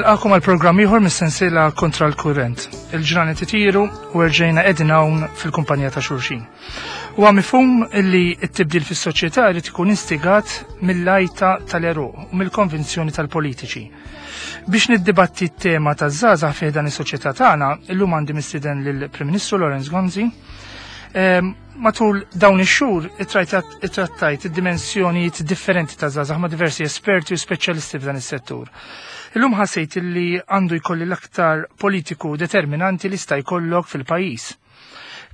Nilqakom għal programm ieħor mis-sensiela Kontra l-Kurrent. Il-ġranet itiru u erġejna qegħdin hawn fil-kumpanija ta' xulxin. Huwa mifhum li t-tibdil fis-soċjetà jrid ikun instigat mill-għajta tal-għeruq u mill-konvinzjoni tal-politiċi. Biex niddibatti t-tema taż-żgħażagħ fih dan is-soċjetà tagħna, illum għandi mistieden lill-Prim Ministru Lawrence Gonzi. Matul dawn ix-xhur ittrattajt id-dimensjonijiet differenti ta' żgħażagħ ma' diversi esperti u speċjalisti f'dan is-settur. Illum ħassejt li għandu jkolli l-aktar politiku determinanti li sta jkollok fil-pajjiż.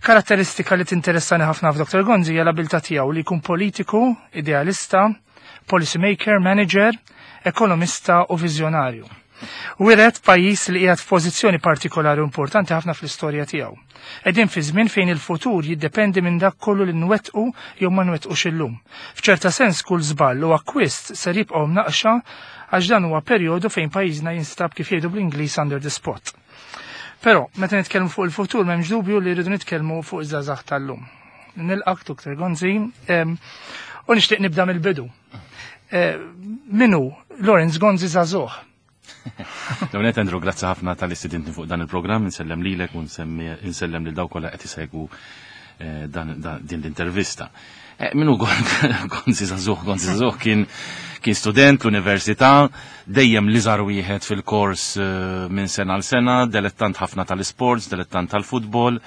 Karatteristika li tinteressani ħafna f'Dr. Gonzi hija l-abilità tiegħu li jkun politiku, idealista, policy maker, manager, ekonomista u viżjonarju. Wiret pajjiż li qiegħed f'pożizzjoni partikolari u importanti ħafna fl-istorja tiegħu. Qegħdin fi żmien fejn il-futur jiddependi minn dak kollu li nwettqu jew ma nwettqux illum. F'ċerta sens kull żball u akkwist ser jibqgħu mnaqqxa għax dan huwa perjodu fejn pajjiżna jinstab kif jgħidu bl-Ingliż under the spot. Però, meta nitkellmu fuq il-futur m'hemmx dubju li rridu nitkellmu fuq iż-żgħażagħ tal-lum. Nilqak Dr. Gonzi u nixtieq nibda mill-bidu. Eh, minu Lawrence Gonzi żagħżugħ? Dawnet Andrew, grazzi ħafna tal-istudenti fuq dan il-programm, insellem lilek u nsellem lil dawk kollha qed isegwu eh, din l-intervista. Eh, minu Gonzi Zazuh, Gonzi Zazuh kien kien student l-università, dejjem li żar wieħed fil-kors minn sena għal sena, delettant ħafna tal-sports, delettant tal-futbol,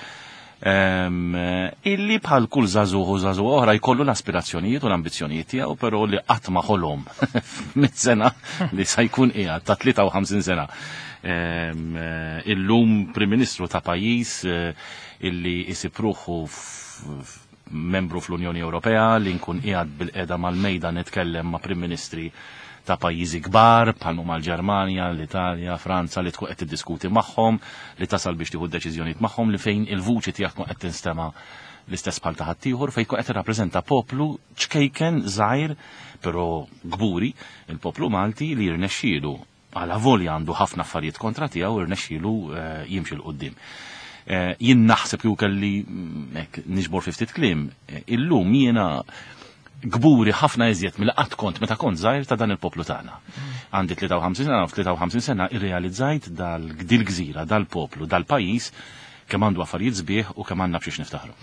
illi bħal kull żagħżugħ u żagħżugħa oħra jkollu l-aspirazzjonijiet u l-ambizzjonijiet tiegħu però li qatt ma ħolom mit sena li sa jkun qiegħed ta' 53 sena. Illum Prim Ministru ta' pajjiż eh, illi isib ruħu membru fl-Unjoni Ewropea li nkun qiegħed bil-qeda mal-mejda nitkellem ma' Prim Ministri ta' pajjiżi kbar bħal huma l-Ġermanja, l-Italja, Franza li tkun qed tiddiskuti magħhom, li tasal biex tieħu deċiżjonijiet magħhom li fejn il-vuċi tiegħek tkun qed tinstema' l-istess bħal ta' ħaddieħor fejn tkun qed tirrappreżenta poplu ċkejken żgħir però kburi, il-poplu Malti li jirnexxielu għala volja għandu ħafna affarijiet kontra tiegħu irnexxielu eh, jimxi 'l quddiem. Eh, jien naħseb kieku kelli mm, hekk niġbor fi ftit kliem, eh, illum jiena kburi ħafna iżjed mill qatt kont meta kont żgħir ta' dan il-poplu tagħna. Għandi 53 sena, f'53 sena irrealizzajt dal-gżira, dal-poplu, dal-pajjiż kemm għandu affarijiet sbieħ u kemm għandna b'xiex niftaħru.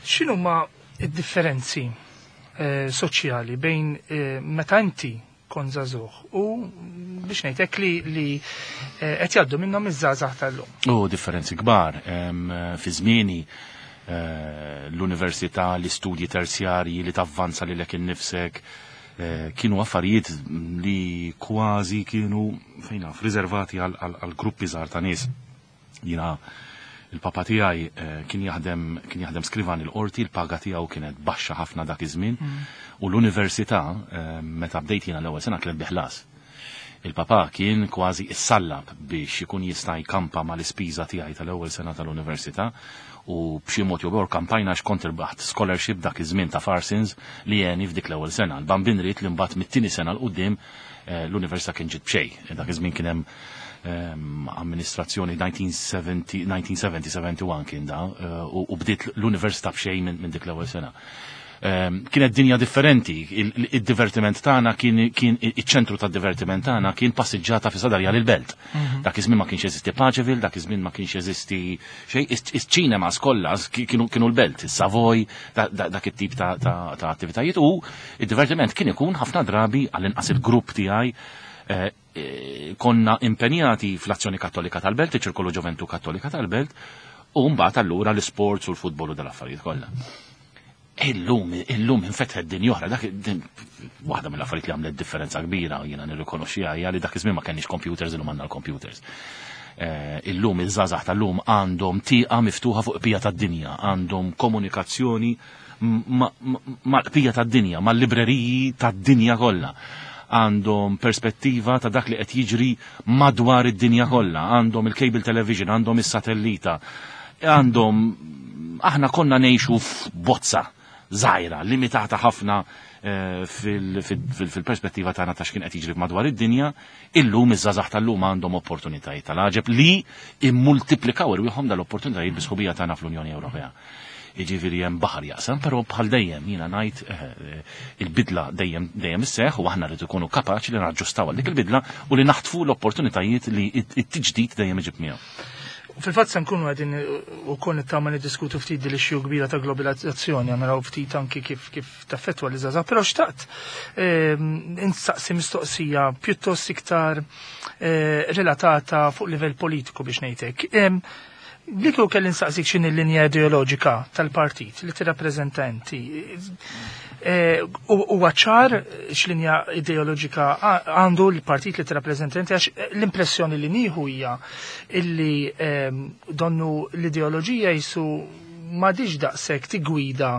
X'inhuma d-differenzi eh, soċjali bejn eh, meta inti kont żagħżugħ u biex ngħidlek li li eh, qed jgħaddu minnhom iż-żgħażagħ tal-lum. U differenzi kbar fi żmieni eh, l-università, l-istudji terzjarji li tavvanza lilek innifsek eh, kienu affarijiet li kważi kienu fejn naf riservati għal gruppi żgħar ta' nies. Jiena il-papa tiegħi eh, kien jaħdem kien jaħdem skrivan il-qorti, il-paga tiegħu kienet baxxa ħafna dak iż-żmien mm. u l-università eh, meta bdejt jiena l-ewwel sena kienet biħlas. Il-papa kien kważi issallab biex ikun jista' jkampa mal-ispiża tiegħi tal-ewwel sena tal-università u b'xi mod jew kampajna x'kont irbaħt scholarship dak iż-żmien ta' Farsins li għeni f'dik l-ewwel sena. L-bambin ried li mbagħad mit-tieni sena 'l quddiem eh, l-università kien ġiet b'xejn. Dak iż-żmien kien hemm amministrazzjoni 1970-71 kien da eh, u bdiet l-università b'xejn minn dik l-ewwel sena. Kienet dinja differenti, id-divertiment tagħna kien iċ-ċentru tad-divertiment tagħna kien passiġġata fi sadarja lil belt. Mhm. Dak iż-żmien ma kienx jeżisti Paċeville, dak iż-żmien ma kienx jeżisti xejn, iċ-ċinemas kollha kienu l-belt, is-Savoy, dak it-tip ta' attivitajiet u id-divertiment kien ikun ħafna drabi għall-inqas il-grupp tiegħi eh, eh, konna impenjati fl-Azzjoni Kattolika tal-Belt, iċ-Ċirkolu Ġoventu Kattolika tal-Belt, u mbagħad allura l-isports u l-futbol u dal-affarijiet kollha. Illum, illum infetħet din oħra, dak waħda mill-affarijiet li għamlet differenza kbira jiena nirrikonoxxiha hija li dak iż-żmien ma kenniex computers illum għandna l-computers. Eh, illum iż-żgħażagħ tal-lum għandhom tieqa miftuħa fuq qbija tad-dinja, għandhom komunikazzjoni mal-qbija tad-dinja, mal-libreriji tad-dinja kollha. Għandhom perspettiva ta' dak li qed jiġri madwar id-dinja kollha, għandhom il-cable television, għandhom is-satellita, għandhom aħna konna ngħixu f'bozza żgħira, limitata ħafna eh, fil-perspettiva tagħna ta' x'kien qed jiġri madwar id-dinja, illum iż-żgħażagħ tal-lum għandhom opportunitajiet tal-għaġeb li immultiplikaw irwieħhom dal-opportunitajiet bi sħubija tagħna fl-Unjoni Ewropea. Jiġifieri hemm baħar jaqsam, però bħal dejjem jiena ngħid il-bidla dejjem dejjem isseħħ u aħna rridu nkunu kapaċi li naġġustaw għal dik il-bidla u li naħtfu l-opportunitajiet li t-tiġdid dejjem iġib miegħu. Fil-fatt se nkunu qegħdin ukoll nittama niddiskutu ftit din l-issue kbira ta' globalizzazzjoni, naraw ftit anki kif kif taffettwa li żgħażagħ, però xtaqt instaqsi mistoqsija pjuttost iktar relatata fuq livell politiku biex ngħidlek. Li kieku kelli nsaqsik x'inhi l-linja ideoloġika tal-partit li tirrappreżenta inti. Huwa ċar x'linja ideoloġika għandu l-partit li tirrappreżenta inti, għax l-impressjoni li nieħu hija illi donnu l-ideoloġija jisu m'għadix daqshekk tigwida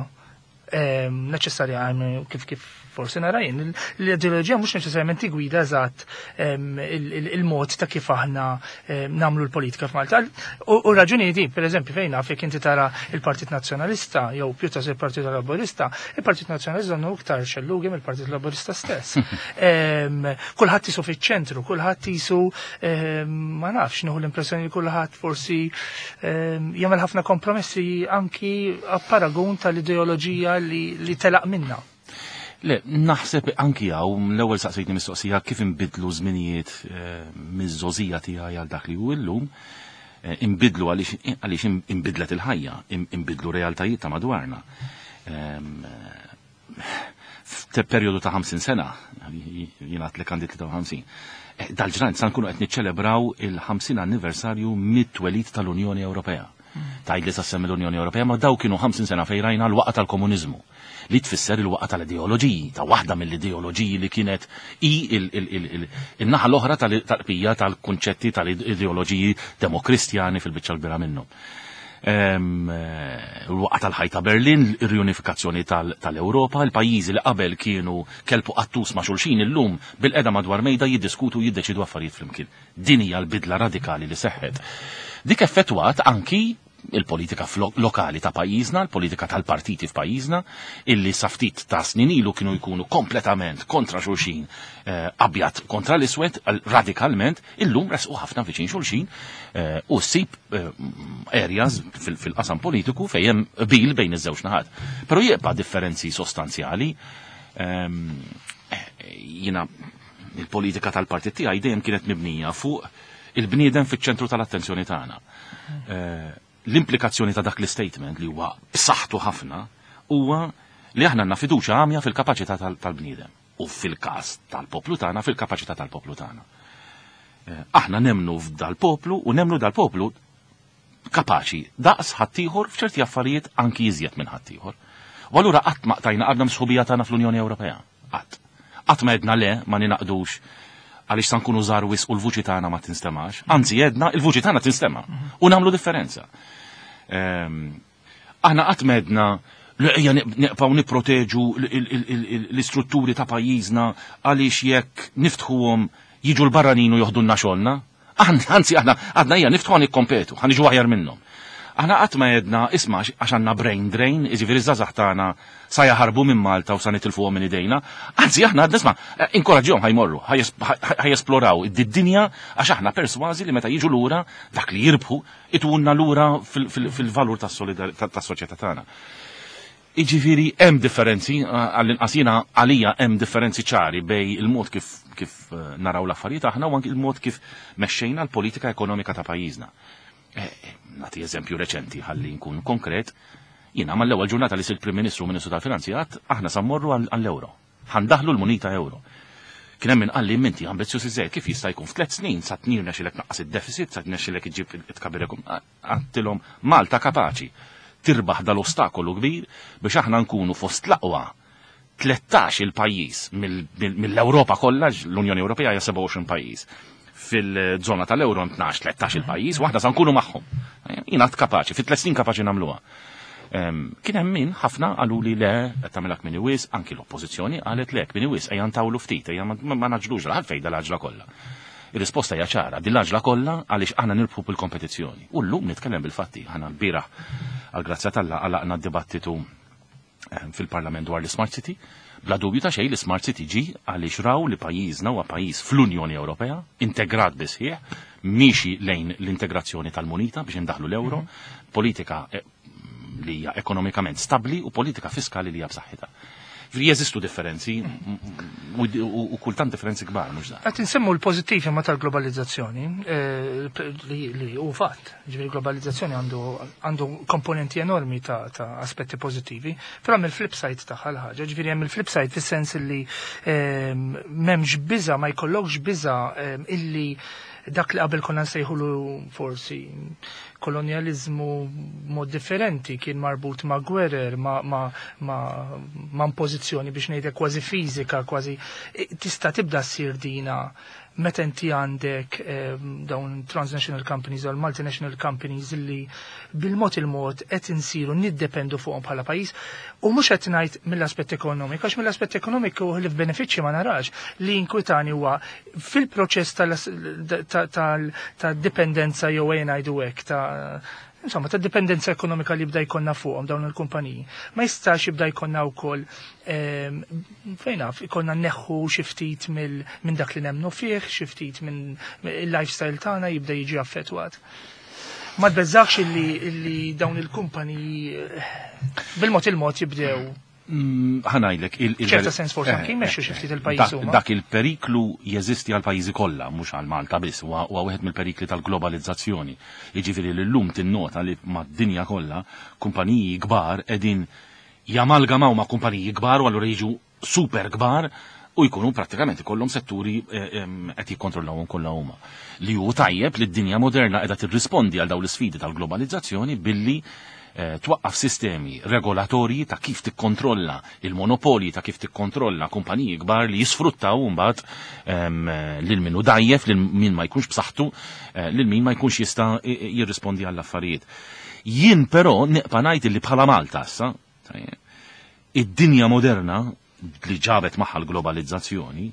neċessarja kif kif forsi nara jien. L-ideoloġija mhux neċessarjament tigwida eżatt il-mod ta' kif aħna nagħmlu l-politika f'Malta. U raġuni di, per eżempju, fejn naf jekk inti tara il-Partit Nazzjonalista jew pjuttost il-Partit Laburista, il-Partit Nazzjonalista għandu iktar xellugi mill-Partit Laburista stess. Kulħadd jisu fiċ-ċentru, kulħadd jisu, ma nafx, nieħu l-impressjoni li kulħadd forsi jagħmel ħafna kompromessi anki a paragun tal-ideoloġija li telaq minna. Le, naħseb anki hawn l-ewwel saqsejtni mistoqsija kif inbidlu żminijiet miż-żgħożija tiegħi għal dak li hu llum. Inbidlu għaliex inbidlet il-ħajja, inbidlu realtajiet ta' madwarna. F'perjodu ta' 50 sena, jiena għadlek għandi 53, dal-ġranet sa nkunu qed niċċelebraw il-50 anniversarju mit-twelid tal-Unjoni Ewropea. Tgħid li sa semmi l-Unjoni Ewropea, ma daw kienu 50 sena fejn rajna l-waqa tal-komuniżmu, li tfisser il-waqa tal-ideoloġiji, ta' waħda mill-ideoloġiji li kienet i il-naħa l-oħra tal-qbija tal-kunċetti tal-ideoloġiji demokristjani fil-biċċa l-kbira minnhom. Il-waqa tal-ħajta Berlin, ir-riunifikazzjoni tal-Ewropa, il-pajjiżi li qabel kienu kelpu qattus ma' xulxin illum bil-qeda madwar mejda jiddiskutu jiddeċidu affarijiet flimkien. Din hija l-bidla radikali li seħħet. Dik effettwat anki il-politika lokali ta' pajjiżna, il-politika tal-partiti f'pajjiżna, illi sa ftit ta' snin ilu kienu jkunu kompletament kontra xulxin, abjad kontra l-iswed, radikalment, illum resqu ħafna viċin xulxin u ssib areas fil-qasam politiku fejn hemm qbil bejn iż-żewġ naħat. Però jibqa' differenzi sostanzjali. Jiena il-politika tal-partit tiegħi dejjem kienet mibnija fuq il-bniedem fiċ-ċentru tal-attenzjoni tagħna. L-implikazzjoni ta' dak l-statement li huwa b'saħħtu ħafna huwa li aħna għandna fiduċja għamja fil-kapaċità tal-bniedem u fil-każ tal-poplu tagħna fil-kapaċità tal-poplu tagħna. Aħna nemnu f'dal-poplu u nemnu dal-poplu kapaċi daqs ħaddieħor f'ċerti affarijiet anki iżjed minn ħaddieħor. U allura qatt ma qtajna qalbna msħubija tagħna fl-Unjoni Ewropea. Qatt. Qatt ma għedna le ma ninaqdux għaliex sa nkunu żgħar wisq u l-vuċi tagħna ma tinstemax. Anzi għedna il-vuċi tagħna tinstema' u nagħmlu differenza. Aħna qatt ma għedna li ejja neqpaw nipproteġu l-istrutturi ta' pajjiżna għaliex jekk niftħuhom jiġu l-barranin u joħdulna xogħolna. Anzi aħna għadna ejja niftħu għan nikkompetu, ħa niġu aħjar minnhom. Aħna qatt ma għedna isma' għax għandna brain drain, jiġifieri ż-żgħażagħ tagħna sa jaħarbu minn Malta u sa nitilfuhom minn idejna. Anzi aħna għadna isma' inkoraġġihom ħajmorru, ħajesploraw id-dinja għax aħna persważi li meta jiġu lura dak li jirbħu itunna lura fil-valur tas-soċjetà tagħna. Jiġifieri hemm differenzi, għall-inqas jiena għalija hemm differenzi ċari bej il-mod kif naraw l-affarijiet aħna u anki il-mod kif mexxejna l-politika ekonomika ta' pajjiżna. Nagħti eżempju reċenti ħalli nkun konkret, jiena mal-ewwel ġurnata li sirt Prim Ministru u Ministru tal-Finanzi għadt aħna sa mmorru għall-euro. Ħandaħlu l-munita euro. Kien hemm min qalli minti ambizzjuż iżejjed kif jista' jkun f'tliet snin sa tnirnexxilek tnaqqas id-deficit, sa tnexxilek iġġib it-tkabbir għattilhom Malta kapaċi tirbaħ dal-ostakolu kbir biex aħna nkunu fost l-aqwa 13 il-pajjiż mill-Ewropa kollha, l-Unjoni Ewropea hija 27 pajjiż. Fil-żona tal-Euro 12-13 il-pajjiż, waħda sa nkunu magħhom. Jiena kapaċi, fit tliet snin kapaċi nagħmluha. Kien hemm min ħafna qalu li le qed tagħmilha kmieni wisq, anki l-oppożizzjoni qalet le kmieni wisq, ejja ntawlu ftit, ejja ma naġlux għalfejn dal-għaġla kollha. Ir-risposta hija ċara, din l-għaġla kollha għaliex aħna nirbħu bil-kompetizzjoni. U llum nitkellem bil-fatti, aħna l-bieraħ għall-grazzja t'Alla għalaqna d-dibattitu fil-Parlament dwar l-Smart City. Bla dubju ta' xejn l-Smart City ġi għaliex raw li pajjiżna huwa pajjiż fl-Unjoni Ewropea, integrat bisħieħ, miexi lejn l-integrazzjoni tal-munita biex indaħlu l-euro, politika li hija ekonomikament stabbli u politika fiskali li hija b'saħħitha. Jeżistu differenzi u kultant differenzi kbar, mhux żgħar. Qed insemmu l-pożittivi ma tal-globalizzazzjoni li hu fatt. Ġifieri globalizzazzjoni għandu komponenti enormi ta' aspetti pożittivi, però hemm il-flip side tagħha l-ħaġa, ġifieri hemm il-flip side fis-sens li m'hemmx biża' ma jkollokx biża' illi dak li qabel konna nsejħulu forsi kolonjaliżmu mod differenti kien marbut ma' gwerer, ma' impożizzjoni biex ngħidlek kważi fiżika, kważi tista' tibda ssir dina meta inti għandek dawn transnational companies u multinational companies li bil-mod il-mod qed insiru niddependu fuqhom bħala pajjiż u mhux qed ngħid mill-aspett ekonomiku, għax mill-aspett ekonomiku li f'benefiċċji ma narax li inkwitani huwa fil-proċess tal-dipendenza jew ejja ngħidu hekk ta' insomma, ta' dipendenza ekonomika li bda jkollna fuqhom dawn il-kumpaniji. Ma jistax jibda jkollna wkoll fejn naf, ikollna neħħu xi ftit minn dak li nemnu fih, xi ftit minn il-lifestyle tagħna jibda jiġi affettwat. Ma tbeżax illi dawn il-kumpaniji bil-mod il-mod jibdew Ħa ngħidlek ċerta sens forsi anki jmexxu xi ftit il-pajjiż huma. Dak il-periklu jeżisti għal pajjiżi kollha, mhux għal Malta biss, huwa wieħed mill-perikli tal-globalizzazzjoni. Jiġifieri li llum tinnota li mad-dinja kollha kumpaniji kbar qegħdin jamalgamaw ma' kumpaniji kbar u allura jiġu super kbar u jkunu prattikament ikollhom setturi qed jikkontrollawhom kollha huma. Li hu tajjeb li d-dinja moderna qiegħda tirrispondi għal dawn l-isfidi tal-globalizzazzjoni billi twaqqaf sistemi regolatorji ta' kif tikkontrolla il-monopoli, ta' kif tikkontrolla kumpaniji kbar li jisfruttaw mbagħad lil min hu dgħajjef, lil min ma jkunx b'saħħtu, lil min ma jkunx jista' jirrispondi għall-affarijiet. Jien però nibqa' ngħid li bħala Malta issa, id-dinja moderna li ġabet magħha l-globalizzazzjoni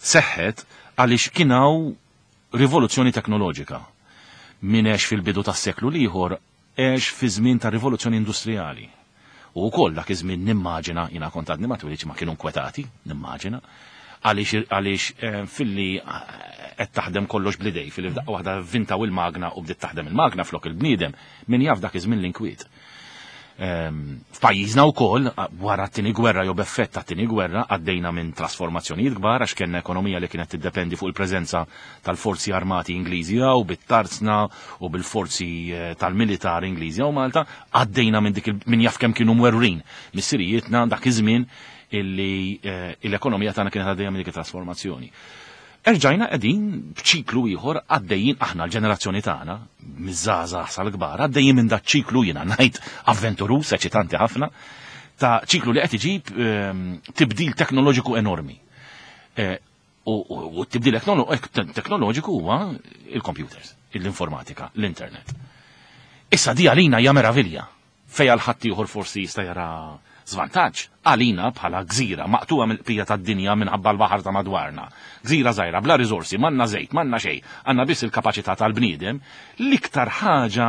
seħħet għaliex kien hawn rivoluzzjoni teknoloġika. Min għex fil-bidu tas-seklu l-ieħor għex fi żmien ta' rivoluzzjoni industrijali. U wkoll dak iż-żmien nimmaġina, jiena kont għadni ma twilidx ma kienu nkwetati, nimmaġina, għaliex filli qed taħdem kollox bl-idej, filli f'daqqa waħda vintaw il-magna u bdiet taħdem il-magna flok il-bniedem, min jaf dak iż-żmien l-inkwiet. F'pajjiżna wkoll wara t-tieni gwerra jew b'effett tat-tieni gwerra għaddejna minn trasformazzjonijiet kbar għax kellna ekonomija li kienet tiddependi fuq il-preżenza tal-forzi armati Ingliżi u bit-tarzna u bil-forzi tal-militar Ingliżi u Malta, għaddejna minn dik min jaf kemm kienu mwerwrin missirijietna dak iż-żmien illi l-ekonomija tagħna kienet għaddejja minn dik it-trasformazzjoni. Erġajna qegħdin b'ċiklu ieħor għaddejjin aħna l-ġenerazzjoni tagħna, miż-żgħażagħ sal-kbar, għaddejjin minn dak ċiklu jiena ngħid avventuruż, eċitanti ħafna, ta' ċiklu li qed iġib tibdil teknoloġiku enormi. U t-tibdil teknoloġiku huwa il-computers, l-informatika, l-internet. Issa di għalina hija meravilja, fejn għal ħadd ieħor forsi jista' jara żvantaġġ, għalina bħala gżira maqtuha mill-qbija tad-dinja minħabba l-baħar ta' madwarna. Gżira żgħira bla riżorsi, m'għandna żejt, m'għandna xejn, għandna biss il-kapaċità tal-bniedem, l-iktar ħaġa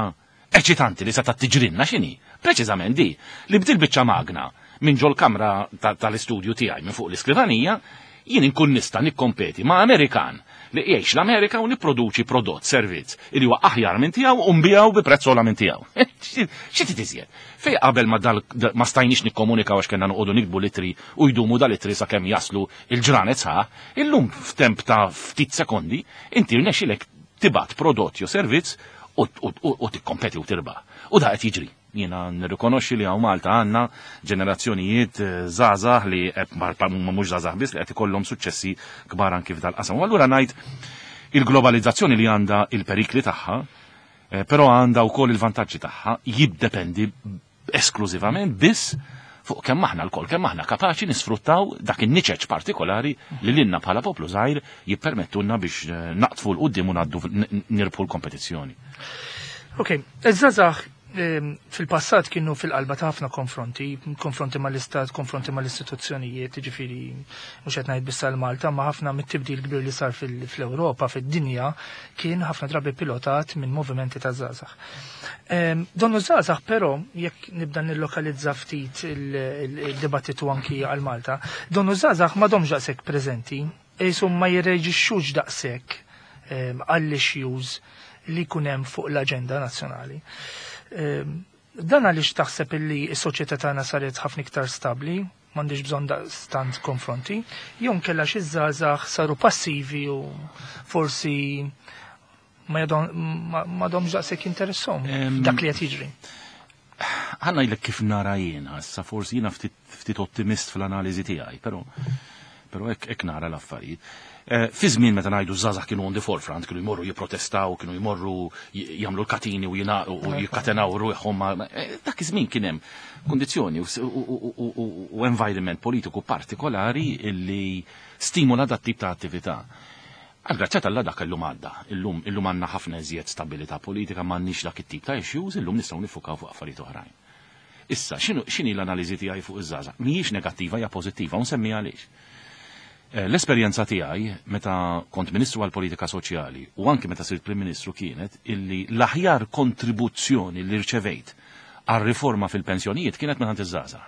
eċitanti li seta' tiġrinna x'inhi? Preċiżament di, li bdil biċċa magna minn ġol kamra tal-istudju tiegħi minn fuq l-iskrivanija, jien inkun nista' nikkompeti ma' Amerikan li jgħix l-Amerika u nipproduċi prodott, servizz, li huwa aħjar minn tiegħu u nbiegħu bi prezz ogħla minn tiegħu. Xi trid iżjed? Fej qabel ma stajniex nikkomunikaw għax kellna noqogħdu nikbu litri u jdumu dal-itri sakemm jaslu il-ġranet sħaħ, illum f'temp ta' ftit sekondi inti rnexxilek tibgħat prodott jew servizz u tikkompeti u tirbaħ. U da qed jiġri. Jiena nirrikonoxxi li hawn Malta għandna ġenerazzjonijiet żgħażagħ li mhux żgħażagħ biss li qed ikollhom suċċessi kbar anki f'dal-qasam. U allura ngħid il-globalizzazzjoni li għandha il-perikli tagħha, però għandha wkoll il-vantaġġi tagħha, jiddependi esklużivament biss fuq kemm aħna lkoll, kemm aħna kapaċi nisfruttaw dak in-niċeċ partikolari li lilna bħala poplu żgħir jippermettulna biex naqtfu 'l quddiem u ngħaddu nirbħu l-kompetizzjoni. Ok, iż-żgħażagħ fil-passat kienu fil-qalba ta' ħafna konfronti, konfronti mal-istat, konfronti mal-istituzzjonijiet, ġifieri mhux qed ngħid biss għal Malta, ma ħafna mit-tibdil kbir li sar fl-Ewropa, fid-dinja, kien ħafna drabi pilotat minn movimenti ta' żgħażagħ. Donnu żgħażagħ però, jekk nibda nillokalizza ftit il-dibattitu anki għal Malta, donnu żgħażagħ m'għadhomx daqshekk preżenti, qishom ma jirreġixxux daqshekk għall-issues li jkun hemm fuq l-aġenda nazzjonali. Dan għaliex taħseb illi s-soċjetà tagħna saret ħafna iktar stabbli, m'għandix bżonn daqstant konfronti, jew inkella xi żgħażagħ saru passivi u forsi ma m'għadhomx daqshekk jinteressahom dak li qed jiġri. Ħa ngħidlek kif nara jiena, issa forsi jiena ftit ottimist fl-analiżi tiegħi, però hekk nara l-affarijiet. Fi żmien meta ngħidu żgħażagħ kienu on the forefront, kienu jmorru jipprotestaw, kienu jmorru jagħmlu l-katini u jikkatenaw ruħhom. Dak iż-żmien kien hemm kundizzjoni u environment politiku partikolari illi stimula dat tip ta' attività. Għal-grazzja t'Alla dak illum għadda. Illum għandna ħafna iżjed stabilità politika, m'għandniex dak it-tip ta' issues, illum nistgħu nifukaw fuq affarijiet oħrajn. Issa, x'inhi l-analiżi tiegħi fuq iż-żgħażagħ? Mhijiex negattiva, hija pożittiva, u nsemmi għaliex. L-esperjenza tiegħi meta kont Ministru għall-Politika Soċjali u anki meta sirt Prim Ministru kienet illi l-aħjar kontribuzzjoni li rċevejt għal riforma fil-pensjonijiet kienet minn iż-żgħażagħ.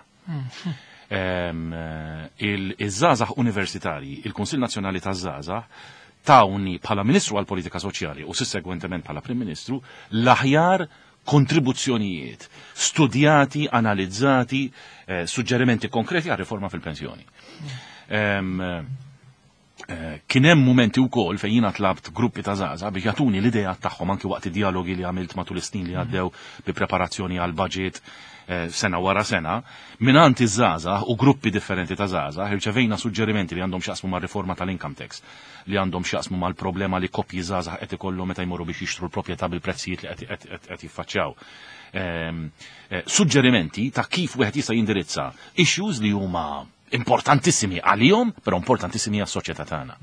Iż-żgħażagħ universitarji, il-Kunsill Nazzjonali taż-Żgħażagħ tawni bħala Ministru għall-Politika Soċjali u sussegwentement bħala Prim Ministru l-aħjar kontribuzzjonijiet studjati, analizzati, suġġerimenti konkreti għal riforma fil-pensjoni. Kien hemm mumenti wkoll fejn jiena tlabt gruppi ta' żgħażagħ biex jagħtuni l-idea tagħhom anki waqt id-dialogi li għamilt matul is-snin li għaddew bi preparazzjoni għal budget sena wara sena, mingħand iż-żgħażagħ u gruppi differenti ta' żgħażagħ irċevejna suġġerimenti li għandhom x'jaqsmu mar-riforma tal-income tax, li għandhom x'jaqsmu mal-problema li koppji żgħażagħ qed ikollhom meta jmorru biex jixtru l-proprjetà bil-prezzijiet li qed jiffaċċjaw. Suġġerimenti ta' kif wieħed jista' jindirizza issues li huma importantissimi għalihom, però importantissimi għas-soċjetà tagħna.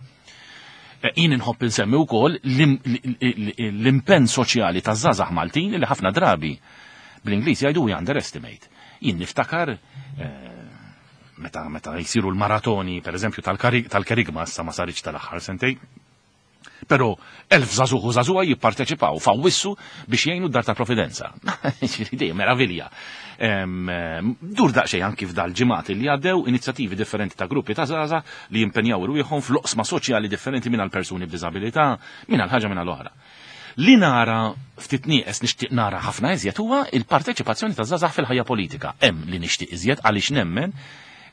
Jien inħobb insemmi wkoll l-impenn soċjali taż-żgħażagħ Maltin li ħafna drabi bl-Ingliż jgħidu we underestimate. Jien niftakar meta jsiru l-maratoni, per eżempju, tal-Kerigma, issa ma saritx tal-aħħar sentejn, però 1000 żagħżugħ u żagħżugħa jipparteċipaw f'Awwissu biex jgħinu d-Dar ta' Providenza. Ġifieri dejjem meravilja. Dur daqsxejn anki f'dal-ġimgħat li għaddew inizjattivi differenti ta' gruppi ta' żgħażagħ li jimpenjaw irwieħhom fl-oqsma soċjali differenti minn għal persuni b'diżabilità, minn għal ħaġa minn għal oħra. Li nara ftit nieqes, nixtieq nara ħafna iżjed, huwa il-parteċipazzjoni ta' żgħażagħ fil-ħajja politika. Hemm li nixtieq iżjed għaliex nemmen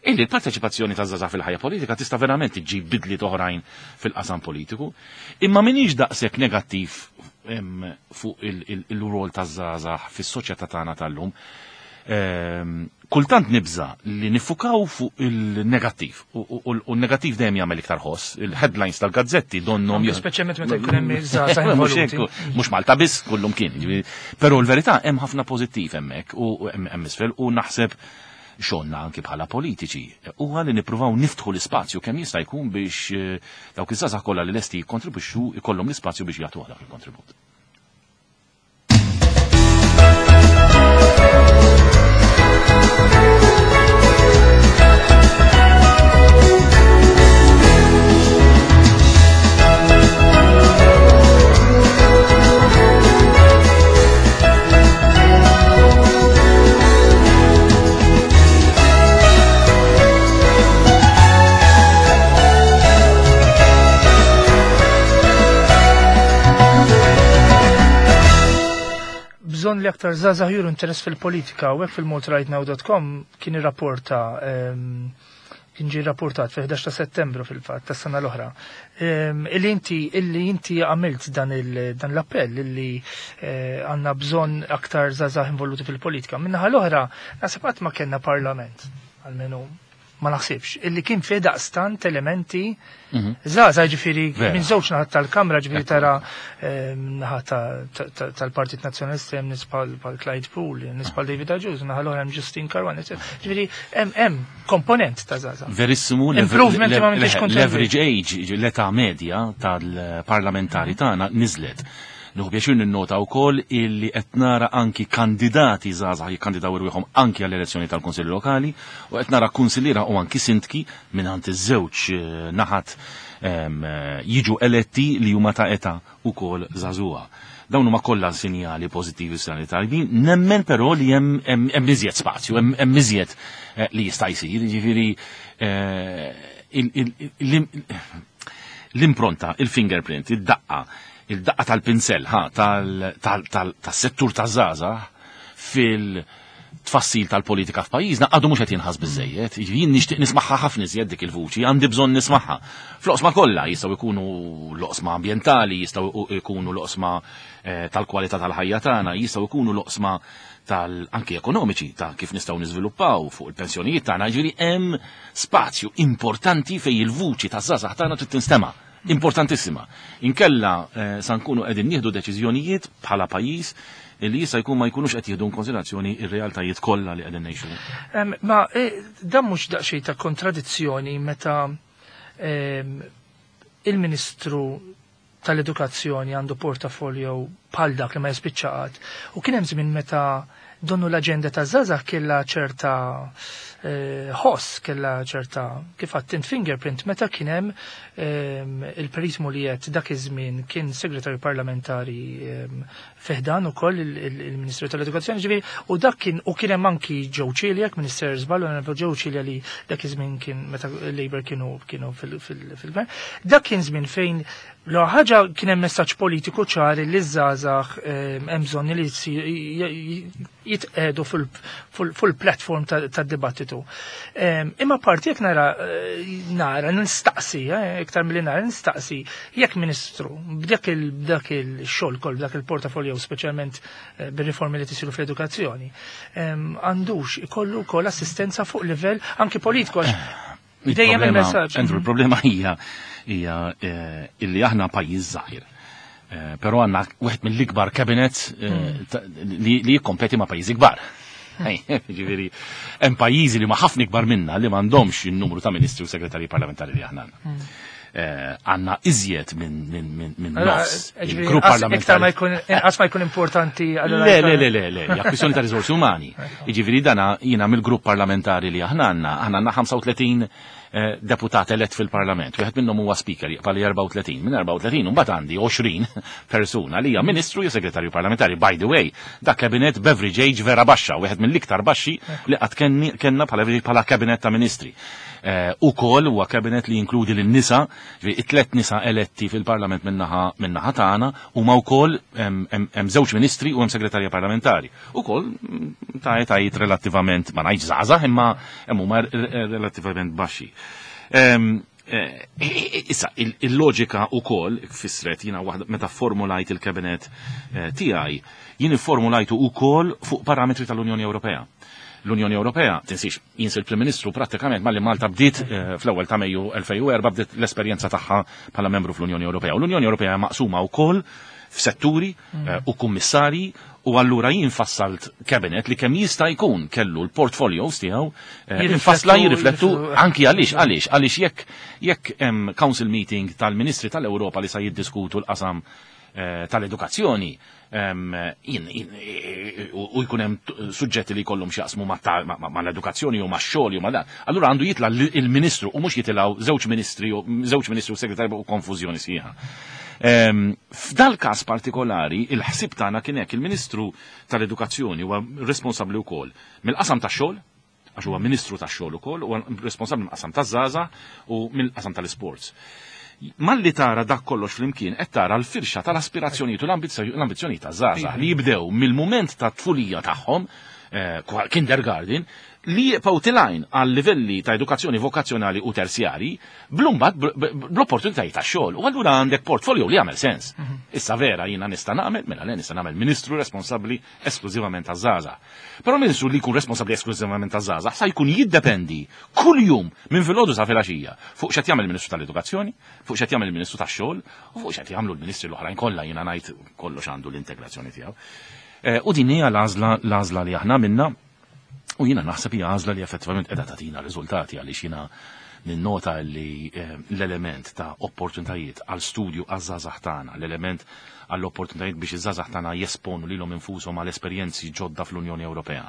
illi l-parteċipazzjoni ta' żgħażagħ fil-ħajja politika tista' verament iġġib bidliet oħrajn fil-qasam politiku. Imma minix daqshekk negattiv fuq il-rol ta' żgħażagħ fis-soċjetà tagħna tal-lum. Kultant nibża li nifukaw fuq il-negattiv u l-negattiv dejjem jagħmel iktar ħoss. Il-headlines tal-gazzetti donnhom Speċjalment meta jkun hemm iż-żgħażagħ Mhux involuti. hekk, mhux Malta biss, kullum kien. Ġifieri, però l-verità hemm ħafna pożittiv hemmhekk u hemm isfel u naħseb xogħolna anki bħala politiċi huwa li nippruvaw niftħu l-ispazju kemm jista' jkun biex dawk iż-żgħażagħ kollha li lesti jikkontribwixxu ikollhom l-ispazju biex jagħtu dak il-kontribut. Bżonn li aktar żgħażagħ juru interess fil-politika u hekk fil-maltarightnow.com kien irrapporta, kien ġie rapportat fil-11 ta' Settembru fil-fatt tas-sena l-oħra. Illi inti għamilt dan l-appell illi għandna bżonn aktar żgħażagħ involuti fil-politika. Min-naħa l-oħra, naħseb qatt ma kellna parlament, almenu ma naħsibx, illi kien fih daqstant elementi żgħażagħ, ġifieri minn żewġ naħat tal-Kamra, ġifieri tara naħa tal-Partit Nazzjonalista hemm nies bħal Clyde Puli, nies bħal David Agius, naħa l-oħra hemm Justyne Caruana, eccetera. Ġifieri hemm komponent ta' żgħażagħ. Verissimu, Improvement ma m'intix kontent. l-average age, l-età medja tal-parlamentari tagħna niżlet. Nieħu pjaċir ninnota wkoll illi qed nara anki kandidati żgħażagħ jikkandidaw irwieħhom anki għall-elezzjoni tal-Kunsilli Lokali u qed nara kunsilliera u anki sindki mingħand iż-żewġ naħat jiġu eletti li huma ta' età ukoll żagħżugħa. Dawn huma kollha sinjali pożittivi, sinjali tajbin, nemmen però li hemm iżjed spazju, hemm iżjed li jista' jsir, jiġifieri l-impronta, il-fingerprint, id-daqqa, il-daqqa tal-pinsel, ha, tas-settur taż-żgħażagħ. Fil-tfassil tal-politika f'pajjiżna għadu mhux qed jinħass biżejjed. Jien nixtieq nismagħha ħafna iżjed dik il-vuċi, għandi bżonn nismagħha. Fl-oqsma kollha jistgħu jkunu l-oqsma ambjentali, jistgħu jkunu l-oqsma tal-kwalità tal-ħajja tagħna, jistgħu jkunu l-oqsma tal-anki ekonomiċi ta' kif nistgħu niżviluppaw fuq il-pensjonijiet tagħna, ġifieri hemm spazju importanti fejn il-vuċi taż-żgħażagħ tagħna trid tinstema'. Importantissima. Inkella sa nkunu qegħdin nieħdu deċiżjonijiet bħala pajjiż li jista' jkun ma jkunux qed jieħdu konsiderazzjoni ir-realtajiet kollha li qegħdin ngħixu. Ma dan mhux daqsxejn ta' kontradizzjoni meta il-Ministru tal-Edukazzjoni għandu portafolio bħal dak li ma jispiċċa qatt? U kien hemm żmien meta donnu l-aġenda ta' żgħażagħ kellha ċerta ħoss, kellha ċerta, kif għedt, fingerprint, meta kien hemm il-Perit Mugliett, dak iż-żmien kien segretarju parlamentari fi ħdan ukoll il-Ministru tal-Edukazzjoni, ġifieri, u dak kien u kien hemm anki Joe Cilia, Minister żball, Joe Cilia li dak iż-żmien kien meta Labour kienu fil-gvern. Dak kien żmien fejn l ħaġa kien hemm messaġġ politiku ċar li ż-żgħażagħ hemm bżonn li jitqegħdu fil-platform tad-dibattitu. Imma parti jekk nara nistaqsi, iktar milli nara nistaqsi, jekk ministru b'dak il-xogħol kol, b'dak il-portafolio, speċjalment bir-riformi li tisiru fl-edukazzjoni, għandux ikollu wkoll assistenza fuq livell anki politiku, għax dejjem il-messaġġ. Andrew, il-problema hija illi aħna pajjiż żgħir. Però għandna wieħed mill-ikbar cabinets li jikkompeti ma' pajjiżi kbar. Ġifieri, hemm pajjiżi li ma ħafna ikbar minna li m'għandhomx in-numru ta' ministri u segretarji parlamentari li aħna għandna. Għandna iżjed minn nofs il-grupp parlamentari. Iktar ma jkun, inqas ma jkun importanti. Le, le, le, le, le, hija kwistjoni ta' riżorsi umani. Jiġifieri dana jiena mill-grupp parlamentari li aħna għandna 35 deputat elett fil-parlament. Wieħed minnhom huwa speaker, jibqa' li 34. Minn 34 mbagħad għandi 20 persuna li hija ministru jew segretarju parlamentari. By the way, dak cabinet b'average age vera baxxa, wieħed mill-iktar baxxi li qatt kellna bħala cabinet ta' ministri. Ukoll huwa cabinet li jinkludi lin-nisa, it-tlet nisa eletti fil-parlament minnaħa tagħna huma wkoll hemm żewġ ministri u hemm segretarja parlamentari. Ukoll ta' etajiet relattivament, ma ngħidx żgħażagħ, imma hemm huma relattivament baxxi. Issa, il-loġika ukoll fissret jiena waħda meta formulajt il-kabinet tiegħi, jien formulajtu ukoll fuq parametri tal-Unjoni Ewropea. L-Unjoni Ewropea, tinsix, jien il-Prim Ministru prattikament malli Malta bdiet fl-ewwel ta' Mejju 2004 bdiet l-esperjenza tagħha bħala membru fl-Unjoni Ewropea. U l-Unjoni Ewropea maqsuma wkoll f'setturi u kummissarji u allura jien fassalt cabinet li kemm jista' jkun kellu l-portfolios tiegħu infassla jirriflettu anki għaliex jekk hemm council meeting tal-Ministri tal-Ewropa li sa jiddiskutu l-qasam tal-edukazzjoni u jkun hemm suġġetti li jkollhom x'jaqsmu mal-edukazzjoni u max-xogħol u ma' dan. Allura għandu jitla' il-ministru u mhux jitilgħu żewġ ministri u żewġ ministri u segretarju u konfużjoni sħiħa. F'dal każ partikolari, il-ħsib tagħna kien hekk: il-Ministru tal-Edukazzjoni huwa responsabbli wkoll mill-qasam tax-xogħol, għax huwa Ministru tax-xogħol ukoll, huwa responsabbli mill-qasam taż-żgħażagħ u mill-qasam tal-isports. Malli tara dak kollox flimkien qed tara l-firxa tal-aspirazzjonijiet u l-ambizzjonijiet taż-żgħażagħ li jibdew mill-mument ta' tfulija tagħhom, kindergarten, li jibqgħu telgħin għal livelli ta' edukazzjoni vokazzjonali u terzjari, blumbat bl-opportunitajiet ta' xogħol. U allura għandek portfolio li jagħmel sens. Issa vera jiena nista' nagħmel, mela le, nista' nagħmel ministru responsabbli esklużivament taż-żgħażagħ. Però ministru li jkun responsabbli esklużivament taż-żgħażagħ sa jkun jiddependi kull jum minn filgħodu sa filgħaxija fuq x'qed jagħmel il-Ministru tal-Edukazzjoni, fuq x'qed jagħmel il-Ministru tax-xogħol u fuq x'qed jagħmlu l-ministri l-oħrajn kollha, jiena ngħid kollox għandu l-integrazzjoni tiegħu. U din hija l-għażla li aħna minna u jiena naħseb hija għażla li effettivament qiegħda tagħtina riżultati, għaliex jiena ninnota li l-element ta' opportunitajiet għal studju għaż-żgħażagħ tagħna, l-element għall opportunitajiet biex iż-żgħażagħ tagħna jesponu lilhom infushom għal esperjenzi ġodda fl-Unjoni Ewropea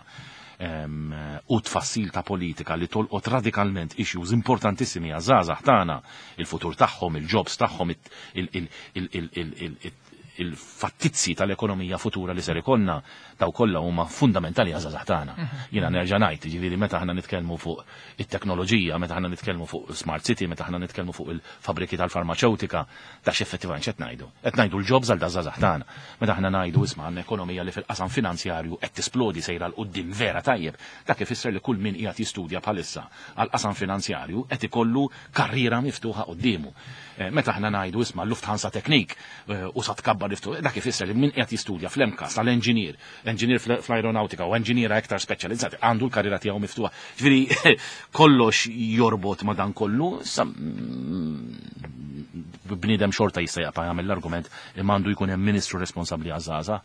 u tfassil ta' politika li tolqot radikalment issues importantissimi għaż-żgħażagħ tagħna, il-futur tagħhom, il-jobs tagħhom, il-fattizzi tal-ekonomija futura li ser ikollna daw kollha huma fundamentali għażażagħ tagħna. Jiena nerġa' ngħid, jiġifieri meta aħna nitkellmu fuq it-teknoloġija, meta aħna nitkellmu fuq smart city, meta aħna nitkellmu fuq il-fabriki tal-farmaċewtika, ta' x'effettivament x'qed ngħidu? Qed ngħidu l-jobs għal daż-żgħażagħ tagħna. Meta aħna ngħidu isma' għandna ekonomija li fil-qasam finanzjarju qed tisplodi sejra 'l quddiem vera tajjeb, dak ifisser li kull min qiegħed jistudja bħalissa għall-qasam finanzjarju qed ikollu karriera miftuħa quddiemu. Meta aħna ngħidu isma' Lufthansa Technik u sa tkabbar iftu, dak ifisser li min qiegħed jistudja fl-MCAST għal engineer, engineer fl-aeronautika u engineer iktar speċjalizzati għandu l-karriera tiegħu miftuħa. Ġifieri kollox jorbot ma' dan kollu, sa bniedem xorta jista' jaqta' jagħmel l-argument imma għandu jkun hemm ministru responsabbli għaż-żgħażagħ,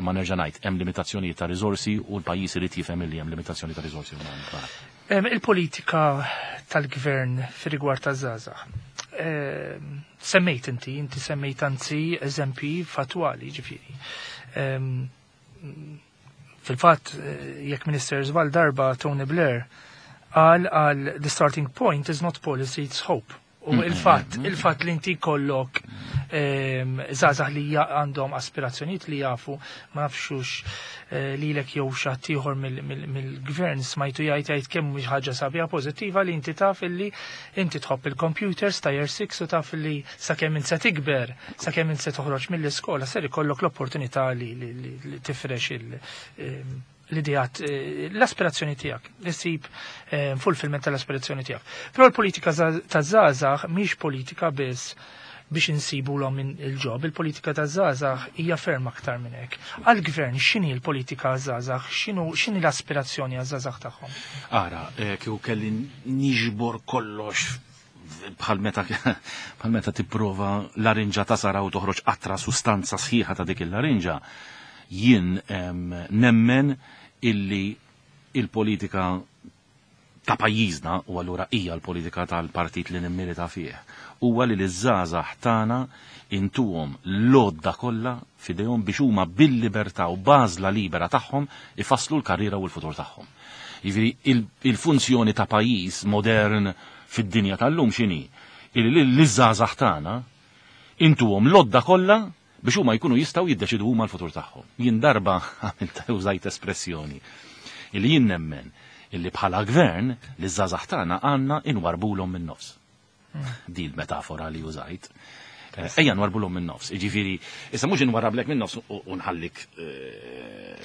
imma nerġa' ngħid hemm limitazzjonijiet ta' riżorsi u l-pajjiż irid jifhem illi hemm limitazzjoni ta' riżorsi umani. Il-politika tal-gvern fir-rigward taż-żgħażagħ. Semmejt inti, inti semmejt anzi eżempji fatwali ġifieri. Fil-fatt, jekk Minister żball darba Tony Blair qal għal the starting point is not policy, it's hope. U il-fatt, il-fatt li inti kollok żgħażagħ li għandhom aspirazzjonijiet li jafu, ma nafxux lilek jew xi ħadd ieħor mill-gvern smajtu jgħid jgħid kemm mhix ħaġa sabiħa pożittiva li inti taf illi inti tħobb il-computers ta' year 6 u taf illi sakemm int se tikber, sakemm int se toħroġ mill-iskola ser ikollok l-opportunità li, li, li, li tifrex l-idejat, l-aspirazzjoni tiegħek, issib fulfillment tal-aspirazzjoni tiegħek. Però l-politika ta' żgħażagħ mhix politika biss biex insibu l il-job, il-politika ta' żgħażagħ hija ferm aktar minn hekk. Għall-gvern x'inhi l-politika żgħażagħ, x'inhi l-aspirazzjoni għaż-żgħażagħ tagħhom? Ara, kieku kelli niġbor kollox bħal meta tipprova larinġa tasara u toħroġ qatra sustanza sħiħa ta' dik il-larinġa, jien nemmen illi il-politika ta' pajjiżna u allura hija l-politika tal-partit li nimmilita fih huwa li l-żgħażagħ tagħna intuhom l-għodda kollha f'idejhom biex huma bil-libertà u b'għażla libera tagħhom ifasslu l-karriera u l-futur tagħhom. Jiġifieri il-funzjoni ta' pajjiż modern fid-dinja tal-lum x'inhi? Illi l-żgħażagħ tagħna intuhom l-għodda kollha biex huma jkunu jistgħu jiddeċidu huma l-futur tagħhom. Jien darba għamilt użajt espressjoni illi jien nemmen illi bħala gvern li żgħażagħ tagħna għandna inwarbulhom minn nofs. Di l-metafora li użajt. Ejja nwarbulhom minn nofs. Jiġifieri, issa mhux inwarrablek minn nofs u nħallik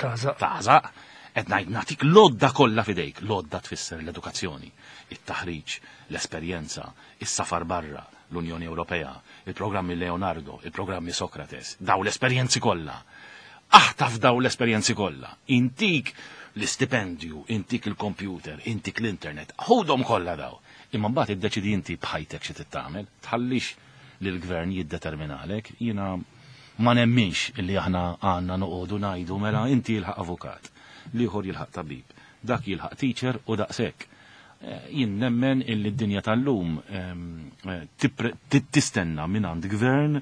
Tażaq. tażaq. Qed ngħid nagħtik l-għodda kollha f'idejk. L-għodda tfisser l-edukazzjoni, it-taħriġ, l-esperjenza, is-safar barra, l-Unjoni Ewropea, il-programmi Leonardo, il-programmi Socrates, daw l-esperjenzi kollha. Aħtaf daw l-esperjenzi kollha. Intik l-istipendju, intik il-computer, intik l-internet, ħudhom kollha daw. Imma mbagħad iddeċidi inti b'ħajtek xi tagħmel, tħallix li l-gvern jiddeterminalek, jiena ma nemminx illi aħna għandna noqogħdu ngħidu mela inti jilħaq avukat, l-ieħor jilħaq tabib, dak jilħaq teacher u daqshekk. Jien nemmen illi d-dinja tal-lum tistenna minn għand gvern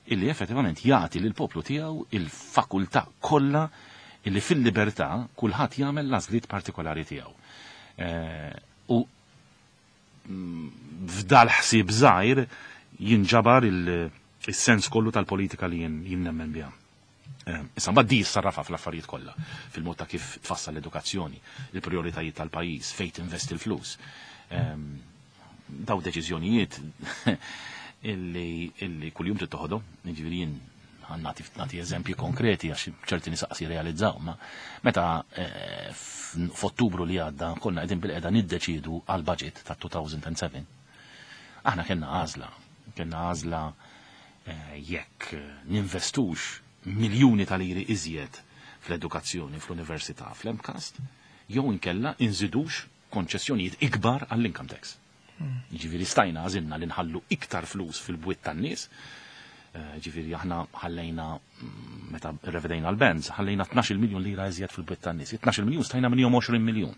illi effettivament jagħti lil poplu tiegħu il-fakultà kollha illi fil-libertà kulħadd jagħmel l-għażliet partikolari tiegħu. U f'dal ħsieb żgħir jinġabar il-sens kollu tal-politika li jien nemmen biha. Issa mbagħad di jissarrafa fl-affarijiet kollha, fil-mod ta' kif tfassal l-edukazzjoni, il-prijoritajiet tal-pajjiż, fejn tinvesti l-flus. Daw deċiżjonijiet illi kuljum trid toħodhom, jiġifieri jien nagħti eżempji konkreti għax ċerti nies qas jirrealizzaw, ma meta f'Ottubru li għadda konna qegħdin bil-qeda niddeċidu għal budget ta' 2007. Aħna kellna għażla jekk ninvestux miljuni ta' liri iżjed fl-edukazzjoni, fl-università, fl-MCAST, jew inkella inżidux konċessjonijiet ikbar għall-income tax. Ġifieri stajna għażilna li nħallu iktar flus fil-bwiet tan-nies. Ġifieri aħna ħallejna meta revedejna l-bands, ħallejna 12 miljun lira iżjed fil-bwiet tan-nies. 12 miljun stajna minnhom 20 miljun.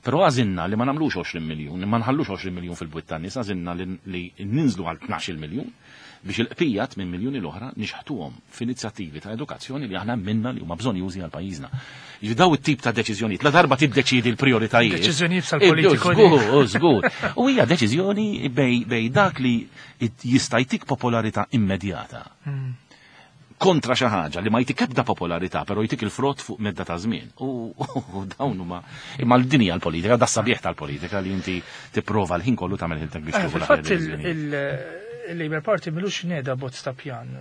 Però għażilna li ma nagħmlux 20 miljun, ma nħallux 20 miljun fil-bwiet tan-nies, għażilna li ninżlu għal 12 miljun biex il-bqija 8 miljuni l-oħra nixħtuhom f'inizjattivi ta' edukazzjoni li aħna minna li huma bżonn jużi għal pajjiżna. Jiġifieri daw it-tip ta' deċiżjonijiet, la darba tiddeċidi l-prijoritajiet. Deċiżjonijiet sal-politiku. Żgur, żgur. U hija deċiżjoni bej dak li jista' jtik popolarità immedjata. kontra xi ħaġa li ma jtik ebda popolarità, però jtik il-frott fuq medda ta' żmien. U dawn huma imma l-dinja l-politika, da sabiħ tal-politika li inti tipprova l-ħin kollu tagħmel ħiltek biex tieħu Fil-fatt il-Labour Party milux neda bozz ta' pjan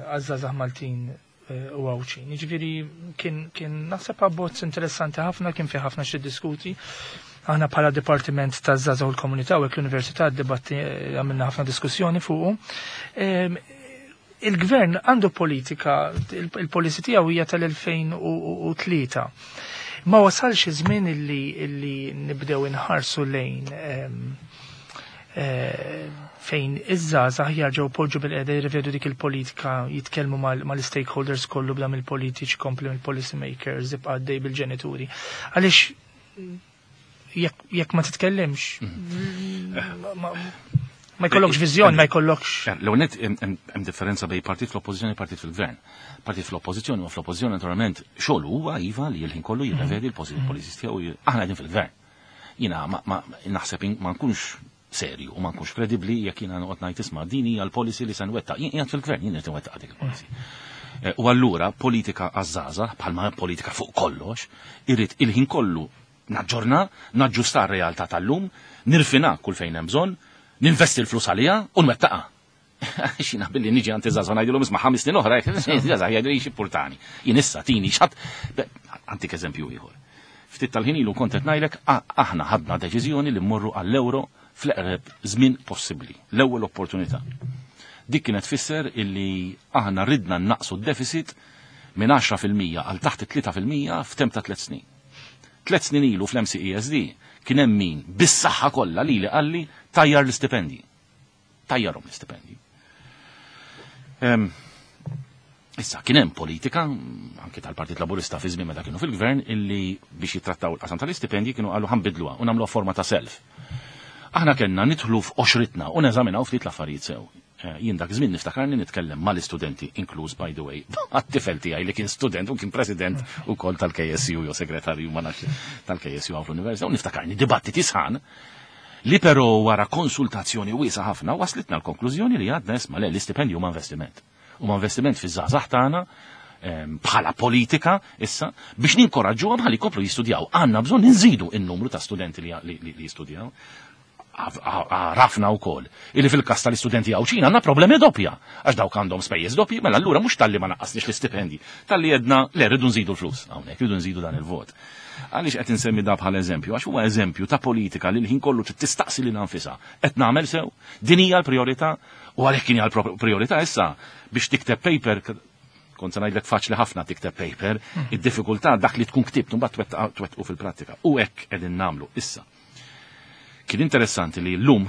għaż-żgħażagħ Maltin u Għawdxin. Jiġifieri kien naħseb abbozz interessanti ħafna, kien fih ħafna xi diskuti. Aħna bħala Dipartiment taż-Żgħażagħ u l-Komunità u hekk l-Università dibatti għamilna ħafna diskussjoni fuqu. Il-gvern għandu politika, il-policy tiegħu hija tal-2003. Ma wasalx iż-żmien illi nibdew inħarsu lejn fejn iż-żgħażagħ jerġgħu poġġu bil-qeda jirrivedu dik il-politika, jitkellmu mal-stakeholders kollu bla mill-politiċi, kompli mill-policy makers, ibqa' għaddej bil-ġenituri. Għaliex jekk ma titkellimx, ma jkollokx viżjoni, ma jkollokx. L-ewwel nett hemm differenza bejn partit fl-oppożizzjoni u partit fil-gvern. Partit fl-oppożizzjoni u fl-oppożizzjoni naturalment xogħol huwa iva li l-ħin kollu jirrevedi l-policies tiegħu. Aħna qegħdin fil-gvern. Jiena naħseb ma nkunx serju u ma nkunx kredibbli jekk jiena noqgħod ngħid isma' din hija l-policy li se nwettaq. Jien qiegħed fil-gvern, jien qed inwettaq dik il-policy. U allura politika għaż-żgħażagħ bħalma politika fuq kollox, irrid il-ħin kollu naġġorna, naġġusta r-realtà tal-lum, nirfina kull fejn hemm bżonn, ninvesti l-flus għaliha u nwettaqha. Xina billi niġi għand iż-żgħażagħ ngħidilhom isma' 5 snin oħra, iż-żgħażagħ jgħidu li x'ippurtani. Jien issa tini x'ħadd. Għantik eżempju ieħor. Ftit tal-ħin ilu kont qed ngħidlek aħna ħadna deċiżjoni li mmorru għall-euro fl-eqreb żmien possibbli, l-ewwel opportunità. Dik kienet tfisser illi aħna ridna naqsu d-deficit minn 10% għal taħt 3% f'temp ta' 3 snin. 3 snin ilu fl-MCESD kien hemm min bis-saħħa kollha lili qalli tajjar l-istipendji. Tajjarhom l-istipendji. Issa kien hemm politika anke tal-Partit Laburista fi żmien meta kienu fil-gvern illi biex jittrattaw il-qasam tal-istipendji kienu qalu ħanbidluha u nagħmluha forma ta' self. Aħna kellna nidħlu f'qoxritna u neżaminaw ftit l-affarijiet sew. Jien dak żmien niftakarni nitkellem mal-istudenti, inkluż by the way, għat-tifel tiegħi li kien student u kien president ukoll tal-KSU jew segretarju ma nafx tal-KSU hawn fl-università, u niftakarni dibattiti sħan li però wara konsultazzjoni wiesa' ħafna waslitna l-konklużjoni li għadna isma' le l-istipendju huma investiment. Huma investiment fiż-żgħażagħ tagħna bħala politika issa biex ninkoraġġuhom ħalli jkomplu jistudjaw. Għandna bżonn inżidu n-numru ta' studenti li jistudjaw. Għarafna wkoll illi fil-każ tal-istudenti Għawdxin għandna problemi doppja, għax dawk għandhom spejjeż doppji, mela allura mhux talli ma naqqasniex l-istipendji, talli għedna le rridu nżidu l-flus hawnhekk, rridu nżidu dan il-vot. Għaliex qed insemmi da bħala eżempju? Għax huwa eżempju ta' politika li l-ħin kollu trid tistaqsi lilha nfisha. Qed nagħmel sew? Din hija l-prijorità? U għalhekk kien hija l-prijorità issa biex tikteb paper, kont se ngħidlek faċli ħafna tikteb paper, id-diffikultà dak li tkun ktibt mbagħad twettqu fil-prattika. U hekk qegħdin nagħmlu issa. Kien interessanti li llum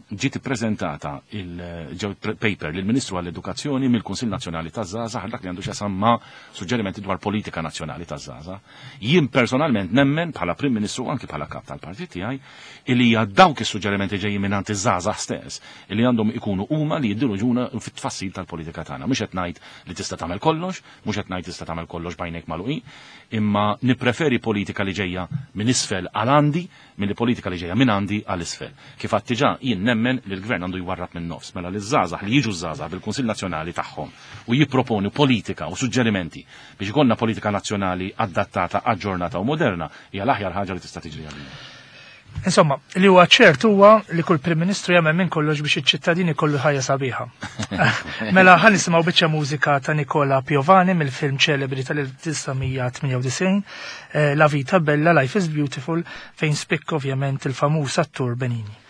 ġiet ippreżentata il-ġew paper lill-Ministru għall-Edukazzjoni mill-Kunsill Nazzjonali taż-Żgħażagħ dak li għandu x'jaqsam ma' suġġerimenti dwar politika nazzjonali taż-żgħażagħ. Jien personalment nemmen bħala Prim Ministru u anki bħala kap tal-partit tiegħi li hija dawk is-suġġerimenti ġejjin mingħand iż-żgħażagħ stess li għandhom ikunu huma li jiddiruġuna fit-tfassil tal-politika tagħna. Mhux qed ngħid li tista' tagħmel kollox, mhux qed ngħid tista' tagħmel kollox b'għajnejk magħluqin, imma nippreferi politika li ġejja minn isfel għal għandi milli politika li ġejja minn għandi għal isfel. Kif għedt diġà, jien nemmen li l-gvern għandu jwarrab minn nofs, mela li ż-żgħażagħ li jiġu ż-żgħażagħ bil-Kunsill Nazzjonali tagħhom u jipproponu politika u suġġerimenti biex ikollna politika nazzjonali adattata, aġġornata u moderna hija l-aħjar ħaġa li tista' tiġri għalina. Insomma, li huwa ċert huwa li kull Prim Ministru jagħmel minn kollox biex iċ-ċittadini kollu ħajja sabiħa. Mela ħa nisimgħu biċċa mużika ta' Nicola Piovani mill-film ċelebri tal-1998, La Vita Bella, Life is Beautiful, fejn spikka ovvjament il-famuż attur Benigni.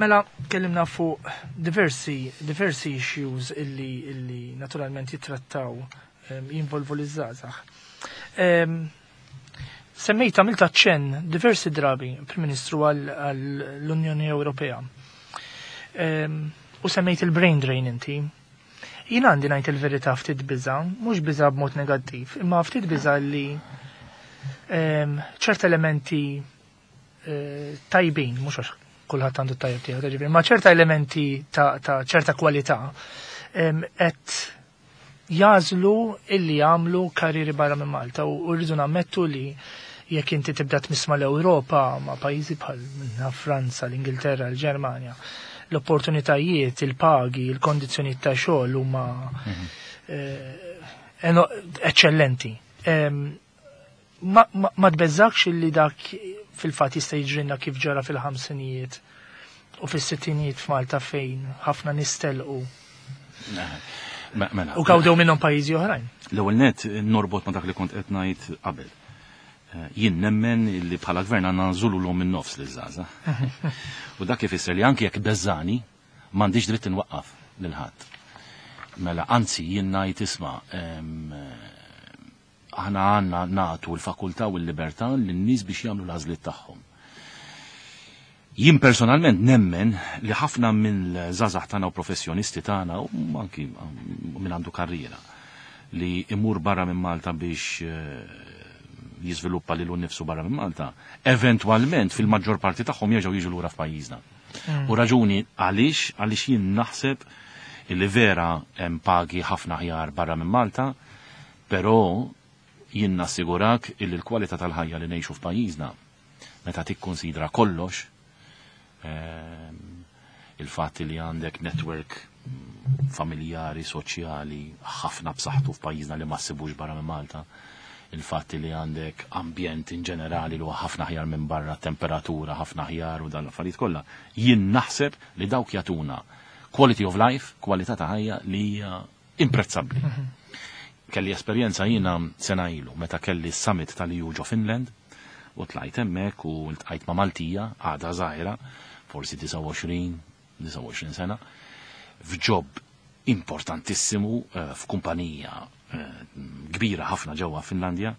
Mela, kellimna fuq diversi, diversi issues illi, illi naturalment jittrattaw jinvolvu l-żgħażagħ. Semmejt għamilt aċċenn diversi drabi, Prim Ministru, għall-Unjoni Ewropea. U semmejt il-brain drain inti. Jien għandi ngħid il-verità ftit biża, mhux biża b'mod negattiv, imma ftit biża li ċert elementi tajbin, mhux għax kulħadd għandu tajjeb tiegħu, ġifieri, ma ċerta elementi ta' ċerta kwalità qed jagħżlu illi jagħmlu karrieri barra minn Malta u rridu nammettu li jekk inti tibda tmiss mal-Ewropa ma' pajjiżi bħal minna Franza, l-Ingilterra, l-Ġermanja, l-opportunitajiet, il-pagi, il-kondizzjonijiet ta' xogħol huma eccellenti. Ma tbeżżakx li dak fil-fatt jista' jiġrilna kif ġara fil-ħamsinijiet u fis-sittinijiet f'Malta fejn ħafna nies telqu Mela. u gawdew minnhom pajjiżi oħrajn? L-ewwel net norbot ma dak li kont qed ngħid qabel. Jien nemmen li bħala gvern għandna nżululhom minn nofs liż-żgħażagħ. U dak ifisser li anki jekk beżani m'għandix dritt inwaqqaf lil ħadd. Mela anzi jien ngħid isma' aħna għandna nagħtu l-fakultà u l-libertà lin-nies biex jagħmlu l-għażliet tagħhom. Jien personalment nemmen li ħafna mill-żgħażagħ tagħna u professjonisti tagħna u anki minn għandu karriera li imur barra minn Malta biex jiżviluppa lilu nnifsu barra minn Malta, eventwalment fil-maġġor parti tagħhom jerġgħu jiġu lura f'pajjiżna. U raġuni għaliex jien naħseb li vera hemm pagi ħafna aħjar barra minn Malta, però jien nassigurak illi l-kwalità tal-ħajja li ngħixu f'pajjiżna meta tikkonsidra kollox, il-fatt li għandek network familjari, soċjali, ħafna b'saħħtu f'pajjiżna li ma ssibux barra minn Malta, il-fatt li għandek ambjent in ġenerali li huwa ħafna aħjar minn barra, temperatura ħafna aħjar u dan l-affarijiet kollha, jien naħseb li dawk jagħtuna quality of life, kwalità ta' ħajja li hija imprezzabbli. Kelli esperjenza jiena sena ilu meta kelli summit tal-EU ġo Finland u tlajt hemmhekk u ltqajt ma' Maltija, għadha żgħira, forsi 29, 29 sena, f'job importantissimu f'kumpanija kbira ħafna ġewwa Finlandja,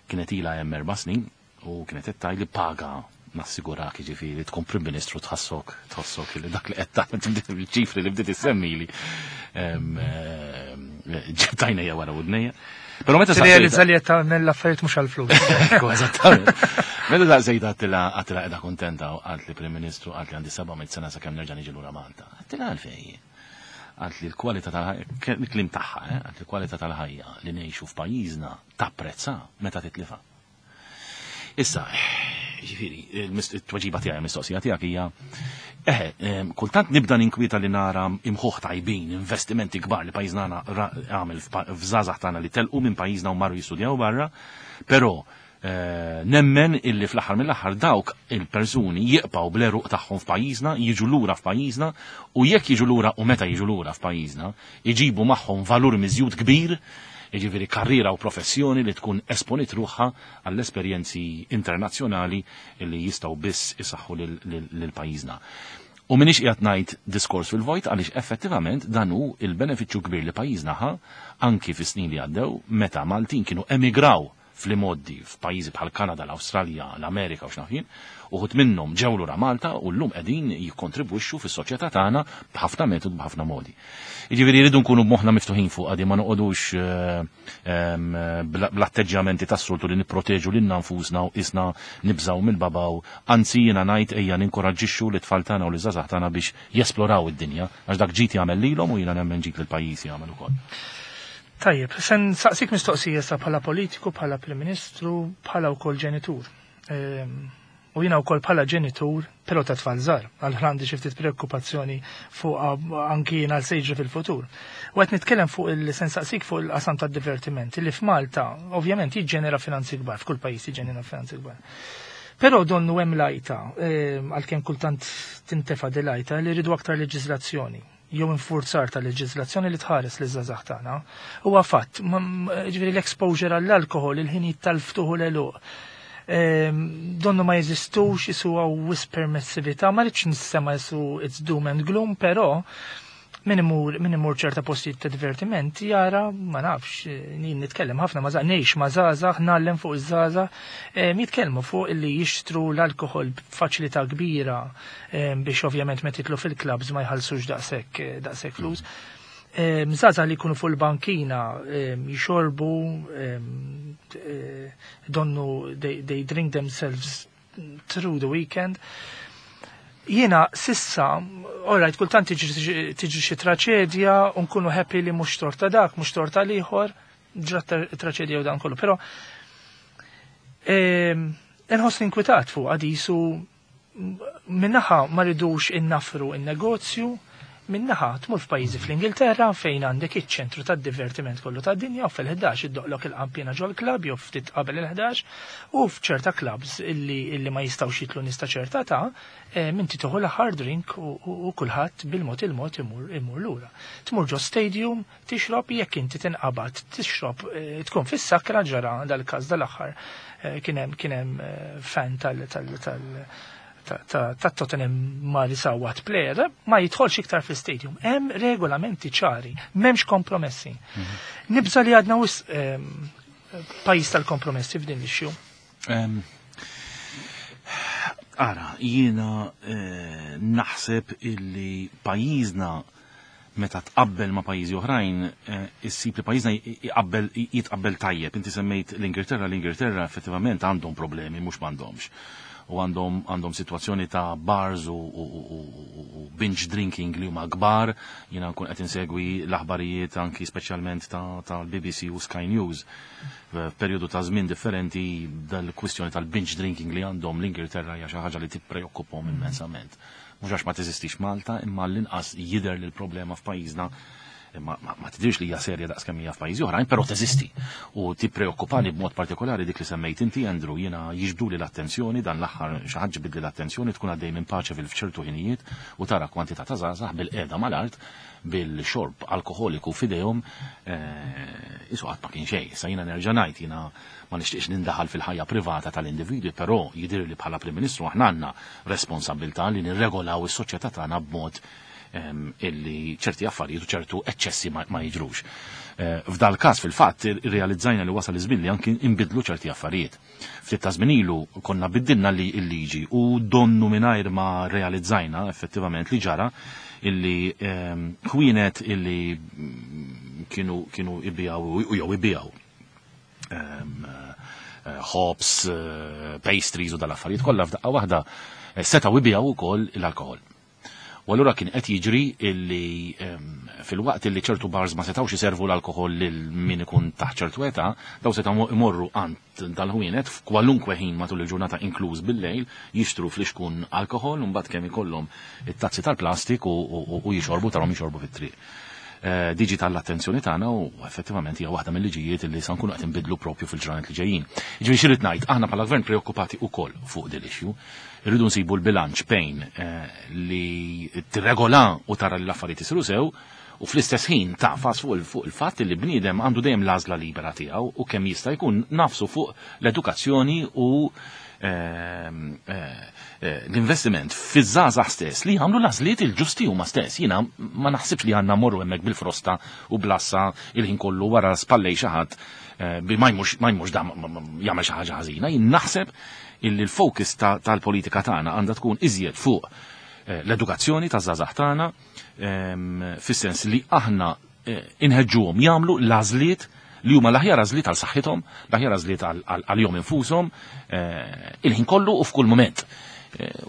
kienet ilha hemm 4 snin u kienet qed tgħid li paga nassigurak jiġifieri tkun Prim Ministru tħossok li dak li qed tagħmel ċifri li bdiet issemmili ġibtajna hija wara widnejja. Però meta Realizza li qed tagħmel l-affarijiet mhux għall-flus. Ekku, eżattament. Meta daqsejt għedtilha qiegħda kontenta u qalt li Prim Ministru, qalt li għandi 700 sena sakemm nerġa' niġi lura Malta. Għedtilha għalfejn. Qalt li l-kwalità tal-ħajja, kliem tagħha, qalt li l-kwalità tal-ħajja li ngħixu f'pajjiżna tapprezza meta titlifa. Issa, ġifieri, it-tweġiba tiegħi mistoqsija tiegħek hija eħe, kultant nibda ninkwieta li nara imħuħ tajbin, investimenti kbar li pajjiżna għamel f'żgħażagħ tagħna li telqu minn pajjiżna u marru jistudjaw barra, però nemmen illi fl-aħħar mill-aħħar dawk il-persuni jibqgħu bl-għeruq tagħhom f'pajjiżna, jiġu lura f'pajjiżna u jekk jiġu lura u meta jiġu lura f'pajjiżna, iġibu magħhom valur miżjud kbir, jiġifieri karriera u professjoni li tkun esponit ruħha għall-esperjenzi internazzjonali li jistgħu biss isaħħu lil pajjiżna. U m'iniex qiegħed ngħid diskors fil-vojt għaliex effettivament dan hu il-benefiċċju kbir li pajjiżna ħa anki fis-snin li għaddew meta Maltin kienu emigraw fl-imgħoddi f'pajjiżi bħal Kanada, l-Awstralja, l-Amerika u x'naf jien, uħud minnhom ġew lura Malta u llum qegħdin jikkontribwixxu fis-soċjetà tagħna b'ħafna metodi, b'ħafna modi. Jiġifieri rridu nkunu b'moħħna miftuħin fuq għadi ma noqogħdux bl-atteġġjamenti tas-soltu li nipproteġu lilna nfusna u isna nibżgħu mill-babaw, anzi jiena ngħid ejja ninkoraġġixxu lit-tfal tagħna u liż-żgħażagħ tagħna biex jesploraw id-dinja għax dak ġid jagħmel lilhom u jiena nemmen ġid lill-pajjiż jagħmel ukoll. Tajjeb, se nsaqsik mistoqsija sa bħala politiku, bħala Prim Ministru, bħala wkoll ġenitur. U jiena wkoll bħala ġenitur, però ta' tfal żgħar, għal għandi xi ftit preokkupazzjoni fuq anki jiena għal sejġri fil-futur. U qed nitkellem fuq il se nsaqsik fuq il-qasam tad-divertiment li f'Malta ovvjament jiġġenera finanzi kbar, f'kull pajjiż jiġġenera finanzi kbar. Però donnu hemm lajta, għalkemm kultant tintefa' di lajta li rridu aktar leġiżlazzjoni jew infurzar ta' leġiżlazzjoni li tħares li żgħażagħ tagħna. Huwa fatt, ġifieri l-exposure għall-alkohol, il-ħinijiet tal-ftuħ u l-għeluq. Donnu ma jeżistux, jisu hawn wisq permessività, ma rridx nissema jisu it's doom and gloom, però min imur min imur ċerta postijiet ta' divertiment jara, ma nafx, jien nitkellem ħafna ma' ngħix ma' żgħażagħ, ngħallem fuq iż-żgħażagħ, jitkellmu fuq illi jixtru l-alkoħol b'faċilità kbira biex ovvjament meta jidħlu fil-clubs ma jħallsux daqshekk daqshekk flus. Żgħażagħ li jkunu fuq il-bankina jixorbu donnu they drink themselves through the weekend. Jiena sissa, alright, kultant tiġri xi traċedja u nkunu happy li mhux torta dak, mhux torta l-ieħor, ġrat traċedja u dan kollu, però inħossni inkwetat fuq għadisu minnaħa ma ridux innafru in-negozju, minnaħa tmur f'pajjiżi fl-Ingilterra fejn għandek iċ-ċentru tad-divertiment kollu tad-dinja u fil-11 iddoqlok il-qampina ġol club jew ftit qabel il-11 u f'ċerta clubs illi ma jistgħux jitlu nista' ċerta ta' minti tieħu l-aħħar drink u kulħadd bil-mod il-mod imur lura. Tmur ġo stadium tixrob jekk inti tinqabad tixrob tkun fis-sakra ġara dal-każ dal-aħħar kien hemm fan tal tal tal ta' Tottenham ma li sawat player, ma jidħolx iktar fl-stadium. Hemm regolamenti ċari, m'hemmx kompromessi. Nibża li għadna wisq pajjiż tal-kompromessi f'din l-issue. Ara, jiena naħseb illi pajjiżna meta tqabbel ma' pajjiżi oħrajn, issib li pajjiżna jitqabbel tajjeb. Inti semmejt l-Ingilterra, l-Ingilterra effettivament għandhom problemi, mhux m'għandhomx. U għandhom situazzjoni ta' bars u binge drinking li huma kbar, jiena nkun qed insegwi l-aħbarijiet anki speċjalment tal-BBC u Sky News. F'perjodu ta' żmien differenti dal-kwistjoni tal-binge drinking li għandhom l-Ingilterra hija xi ħaġa li tippreokkupahom immensament. Mhux għax ma teżistix Malta, imma l-inqas jidher li l-problema f'pajjiżna ma tidirx li hija serja daqs kemm hija f'pajjiżi oħrajn, però teżisti. U tippreokkupani b'mod partikolari dik li semmejt inti, Andrew, jiena jiġbduli l-attenzjoni dan l-aħħar xi ħadd ġibidli l-attenzjoni tkun għaddej minn paċe fil-fċertu ħinijiet u tara kwantità ta' żgħażagħ bil-qiegħda mal-art bil-xorb alkoholiku f'idejhom isu qatt ma kien xejn. Issa jiena nerġa' ngħid jiena ma nixtieqx nindaħal fil-ħajja privata tal-individwi, però jidher li bħala Prim Ministru aħna għandna responsabilità li nirregolaw is-soċjetà tagħna b'mod illi ċerti affarijiet u ċertu eċċessi ma jiġrux. F'dal każ fil-fatt irrealizzajna li wasal iż-żmien li anki nbidlu ċerti affarijiet. Ftit ta' żmien ilu konna biddilna li l-liġi u donnu mingħajr ma realizzajna effettivament li ġara illi ħwienet illi kienu ibijaw u jew ibijaw ħobż, pastries u dal-affarijiet kollha f'daqqa waħda setgħu ibijaw ukoll l-alkohol. U allura kien qed jiġri illi fil-waqt illi ċertu bars ma setgħux iservu l-alkohol lil min ikun taħt ċertu età, daw setgħu imorru għand dal-ħwienet f'kwalunkwe ħin matul il-ġurnata inkluż bil-lejl, jixtru flixkun alkohol u mbagħad kemm ikollhom it-tazzi tal-plastik u jixorbu tarhom jixorbu fit-triq. Diġi tal-attenzjoni tagħna u effettivament hija waħda mill-liġijiet li sa nkunu qed inbidlu propju fil-ġranet li ġejjin. Jiġifieri xi ngħid, aħna bħala gvern preokkupati wkoll fuq din l-issue. Irridu nsibu l-bilanċ bejn li tirregola u tara li l-affarijiet isiru sew u fl-istess ħin tafas fuq il-fatt li bniedem għandu dejjem l-għażla libera tiegħu u kemm jista' jkun nafsu fuq l-edukazzjoni u l-investiment fiż-żgħażagħ stess li jagħmlu l-għażliet il-ġusti huma stess. Jiena ma naħsibx li għandna morru hemmhekk bil-frosta u blassa il-ħin kollu wara spallej xi ħadd bi ma jmurx da jagħmel xi ħaġa ħażina. Jien naħseb illi l-focus tal-politika tagħna għandha tkun iżjed fuq l-edukazzjoni taż-żgħażagħ tagħna fis-sens li aħna inħeġġuhom jagħmlu l-għażliet li huma l-aħjar għażliet għal saħħithom, l-aħjar għażliet għal-jom infushom, il-ħin kollu u f'kull moment.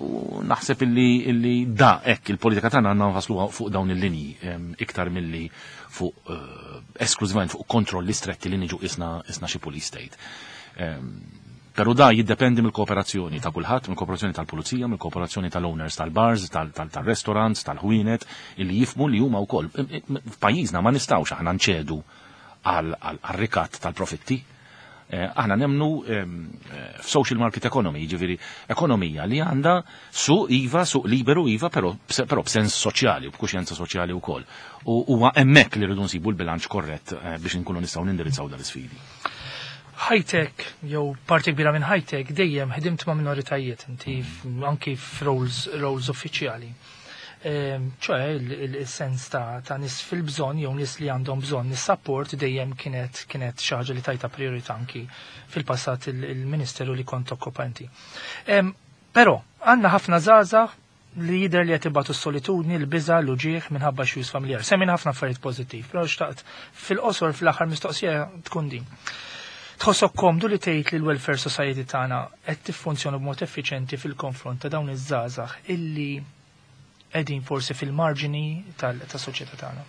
U naħseb illi da hekk il-politika tagħna għandna nfasluha fuq dawn il-linji iktar milli fuq esklużivament fuq kontrolli stretti li niġu isna xi police state. Pero da jiddependi mill-kooperazzjoni ta' kulħadd, mill-kooperazzjoni tal-pulizija, mill-kooperazzjoni tal-owners tal-bars, tal-restaurants, tal-ħwienet, illi jifmu li huma wkoll. F'pajjiżna ma nistgħux aħna nċedu għal-rikat tal-profitti. Aħna nemnu f'social market economy, ġifieri ekonomija li għandha suq iva, suq liberu iva, però b'sens soċjali u b'kuxjenza soċjali wkoll. U huwa hemmhekk li rridu nsibu l-bilanċ korrett biex nkunu nistgħu nindirizzaw dal-isfidi. Ħajtek, jew parti kbira minn ħajtek, dejjem ħdimt ma' minoritajiet, inti anki f'roles roles uffiċjali. ċoè il-sens ta' nies fil-bżonn jew nies li għandhom bżonn is-support dejjem kienet xi ħaġa li tajta priorità anki fil-passat il-ministeru li kont tokkupa inti. Però għandna ħafna żgħażagħ li jidher li qed ibatu s-solitudni, l-biża, l-uġigħ minħabba xjus familjar. Semmin ħafna affarijiet pożittiv, però xtaqt fil-qosor fl-aħħar mistoqsija tkun din. Tħossok komdu li tgħid li l-welfare society tagħna qed tiffunzjona b'mod effiċenti fil-konfront ta' dawn iż-żgħażagħ illi qegħdin forsi fil-marġini tas-soċjetà tagħna?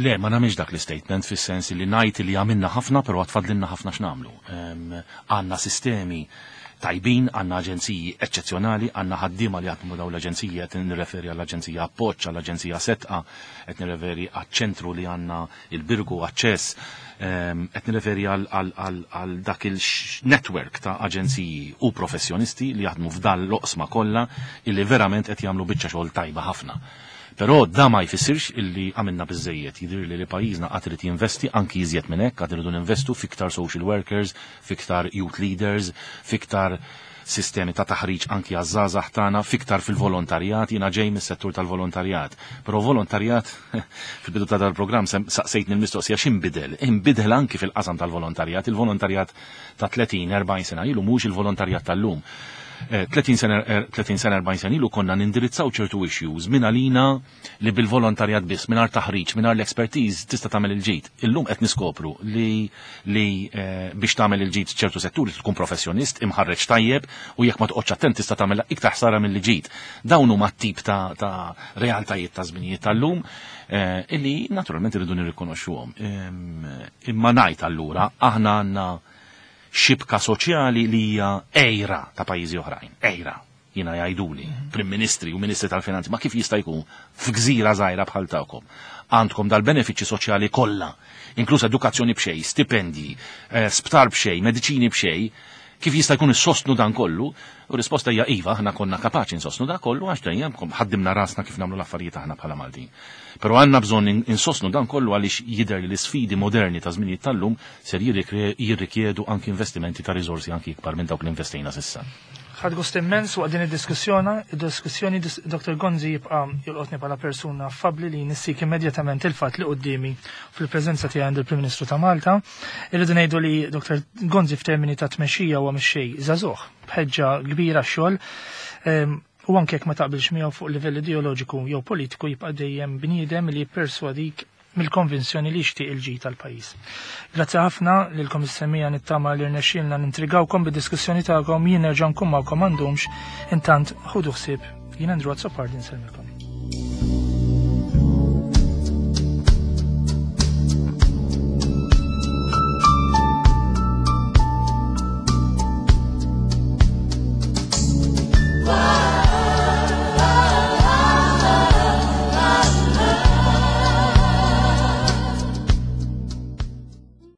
Le, ma nagħmilx dak l-statement fis-sens li ngħid li għamilna ħafna però għad fadlilna ħafna x'nagħmlu. Għandna sistemi tajbin, għandna aġenziji eċċezzjonali, għandna ħaddiema li jaħdmu dawn l-aġenziji, qed nirreferi għall-Aġenzija Appoġġ, għall-Aġenzija Setqa, qed nirreferi għaċ-ċentru li għandna il-Birgu Aċċess, qed nirreferi għal dak il-network ta' aġenziji u professjonisti li jaħdmu f'dan l-oqsma kollha illi verament qed jagħmlu biċċa xogħol tajba ħafna. Però da ma jfissirx illi għamilna biżejjed. Jidhirli li pajjiżna qatt irid jinvesti anki iżjed minn hekk, qatt irridu ninvestu fiktar social workers, fiktar youth leaders, fiktar sistemi ta' taħriġ anki għaż-żgħażagħ tagħna, fiktar fil-volontarjat, jiena ġej mis-settur tal-volontarjat. Però volontarjat fil-bidu ta' dal-programm saqsejtni l-mistoqsija x'inbidel. Inbidel anki fil-qasam tal-volontarjat, il-volontarjat ta' 30-40 sena ilu mhux il-volontarjat tal-lum. 30 sena, 30 sena, 40 sena ilu konna nindirizzaw ċertu issues minn għalina li bil-volontarjat biss, mingħajr taħriġ, mingħajr l-expertise tista' tagħmel il-ġid. Illum qed niskopru li biex tagħmel il-ġid ċertu setturi tkun professjonist, imħarreġ tajjeb u jekk ma toqgħodx attent tista' tagħmel iktar ħsara mill-ġid. Dawn huma tip ta' realtajiet ta' żminijiet tal-lum illi naturalment irridu nirrikonoxxuhom. Imma ngħid allura aħna għandna xibka soċjali li hija għejra ta' pajjiżi oħrajn, għejra. Jiena jgħiduli, Prim Ministri u Ministri tal-Finanzi, ma kif jista' jkun f'gżira żgħira bħal tagħkom? Għandkom dal-benefiċċji soċjali kollha, inkluż edukazzjoni b'xejn, stipendji, sptar b'xejn, mediċini b'xejn, kif jista' jkun issostnu dan kollu? U risposta hija iva, aħna konna kapaċi nsostnu dan kollu għax dejjem ħaddimna rasna kif nagħmlu l-affarijiet aħna bħala Maltin. Però għandna bżonn insostnu dan kollu għaliex jidher li l-isfidi moderni ta' żminijiet tal-lum ser jirrikjedu anki investimenti ta' riżorsi anki ikbar minn dawk li investejna s'issa. Ħadt gost immens waqt din id-diskussjoni, Dr. Gonzi jibqa' jolqotni bħala persuna affabbli li nissik immedjatament il-fatt li quddiemi fil-preżenza tiegħi għand il-Prim Ministru ta' Malta. Irridu ngħidu li Dr. Gonzi f'termini ta' tmexxija huwa mexxej żagħżugħ, b'ħeġġa kbira xogħol. U anke jekk ma taqbilx miegħu fuq livell ideoloġiku jew politiku jibqa' dejjem bniedem li jipperswadik mill-konvinzjoni li jixtieq il-ġid tal-pajjiż. Grazzi ħafna lilkom is-semmiegħa, nittama li rnexxielna nintrigawkom bid-diskussjoni tagħkom, jien nerġa' nkun magħkom m'għandhomx, intant ħudu ħsieb, jien Andrew Azzopardi nsellmilkom.